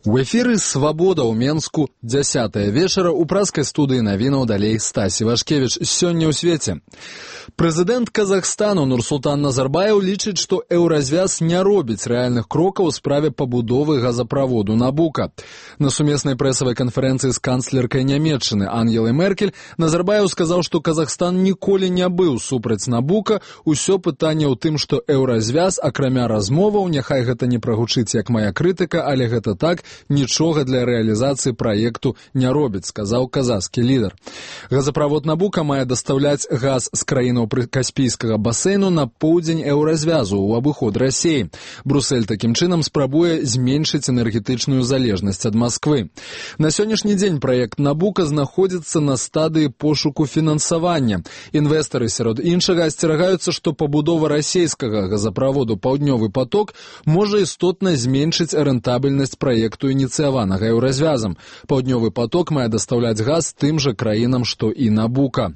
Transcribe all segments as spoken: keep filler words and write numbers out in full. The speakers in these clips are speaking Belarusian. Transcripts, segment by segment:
У эфіры «Свабода» ў Менску, дзясятая вечара ў праскай студыі навінаў далей Стасі Вашкевіч. Сёння ў свеце. Прэзідэнт Казахстану Нурсултан Назарбаев лічыць, што еўразвяз не робіць рэальных крокаў у справе пабудовы газаправоду Набука. На сумеснай прэсавай канферэнцыі з канцлеркай Нямецчыны Ангелай Меркель Назарбаев сказаў, што Казахстан ніколі не быў супраць Набука. Усё пытанне ў тым, што еўразвяз, акрамя размоваў, няхай гэта не прагучыць як мая крытыка, але гэта так, нічога для рэалізацыі праекту не робіць, сказаў казахскі лідар. Газаправод Набука мае дастаўляць газ з краінаў Каспійскага басейну на поўдзень еўразвязу ў абыход Расіі. Брусэль такім чынам спрабуе зменшыць энергетычную залежнасць ад Масквы. На сённяшні дзень праект Набука знаходзіцца на стадыі пошуку фінансавання. Інвестары, сярод іншага, асцерагаюцца, што пабудова расійскага газаправоду «Паўднёвы поток» можа істотна зменшыць рэнтабельнасць праекту ініцыяванага еўразвязам. «Паўднёвы поток» мае дастаўляць газ тым жа краінам, што і Набука.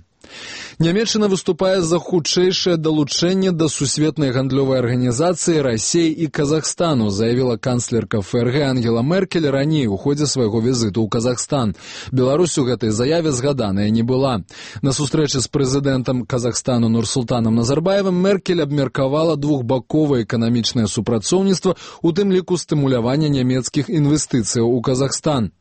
Нямецчына выступае за хутчэйшае далучэнне да сусветнай гандлёвай арганізацыі Расіі і Казахстану, заявіла канцлерка ФРГ Ангела Меркель раней у ходзе свайго візіту ў Казахстан. Беларусь у гэтай заяве згаданая не была. На сустрэчы з прэзідэнтам Казахстану Нурсултанам Назарбаевым Меркель абмеркавала двухбаковае эканамічнае супрацоўніцтва, у тым ліку стымулявання нямецкіх інвестыцыяў у Казахстан.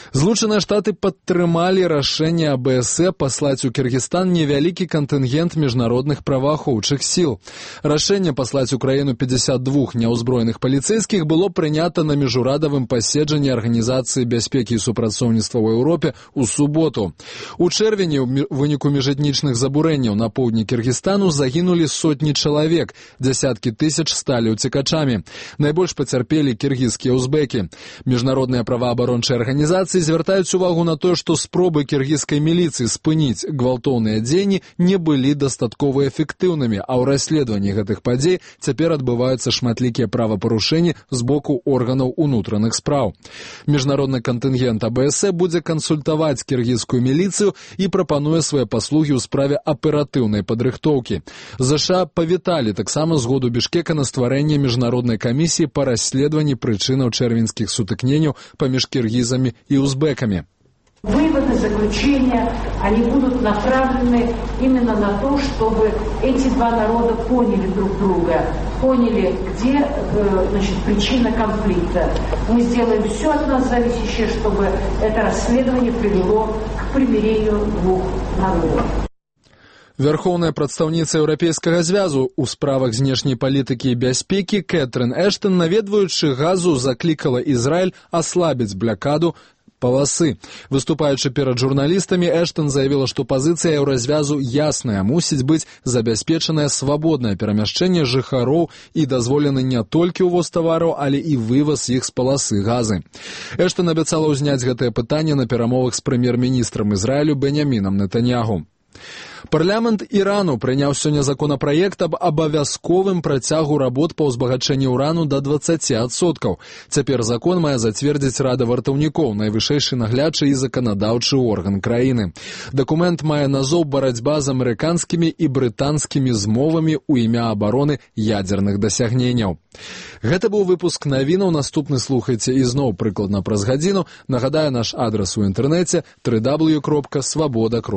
Злучаныя Штаты падтрымалі рашэнне АБСЭ паслаць у Кіргізстан невялікі кантынгент міжнародных праваахоўчых сіл. Рашэнне паслаць у краіну пятьдесят два няўзброеных паліцэйскіх было прынята на міжурадавым паседжанні Арганізацыі бяспекі і супрацоўніцтва ў Еўропе ў суботу. У чэрвені ў выніку міжэтнічных забурэнняў на поўдні Кіргізстану загінулі сотні чалавек, дзясяткі тысяч сталі ўцекачамі. Найбольш пацярпелі кіргізскія узбекі. Міжнародныя праваабарончыя арганізацыі звяртаюць увагу на тое, што спробы кіргізскай міліцыі спыніць гвалтоўныя дзеянні не былі дастаткова эфектыўнымі, а ў расследаванні гэтых падзей цяпер адбываюцца шматлікія правапарушэнні з боку органаў унутраных спраў. Міжнародны кантынгент АБСЭ будзе кансультаваць кіргізскую міліцыю і прапануе свае паслугі ў справе аператыўнай падрыхтоўкі. ЗША павіталі таксама згоду Бішкека на стварэнне міжнароднай камісіі па расследаванні прычынаў чэрвеньскіх сутыкненняў паміж кіргізамі і узбеками. Выводы, заключения, они будут направлены именно на то, чтобы эти два народа поняли друг друга, поняли, где значит, причина конфликта. Мы сделаем все от нас зависящее, чтобы это расследование привело к примирению двух народов. Вярхоўная прадстаўніца Еўрапейскага звязу ў справах знешняй палітыкі і бяспекі Кэтрын Эштон, наведваючы газу, заклікала Ізраіль аслабіць блакаду паласы. Выступаючы перад журналістамі, Эштон заявіла, што пазіцыя еўразвязу ясная, мусіць быць забяспечанае свабоднае перамяшчэнне жыхароў і дазволены не толькі ўвоз тавараў, але і вываз іх з паласы газы. Эштон абяцала ўзняць гэтае пытанне на перамовах з прэм'ер-міністрам Ізраілю Беньямінам Нетаньяху. Парламент Ірану прыняў сёння законапраект аб абавязковым працягу работ па ўзбагачэнні ўрану да дваццаці адсоткаў. Цяпер закон мае зацвердзіць Рада вартаўнікоў, найвышэйшы наглядчы і заканадаўчы орган краіны. Дакумент мае назоў «Барацьба з амерыканскімі і брытанскімі змовамі ў імя абароны ядзерных дасягненняў». Гэта быў выпуск навінаў, наступны слухайце ізноў прыкладна праз гадзіну. Нагадаю, наш адрас у інтэрнэце дабл ю дабл ю дабл ю кропка свабода кропка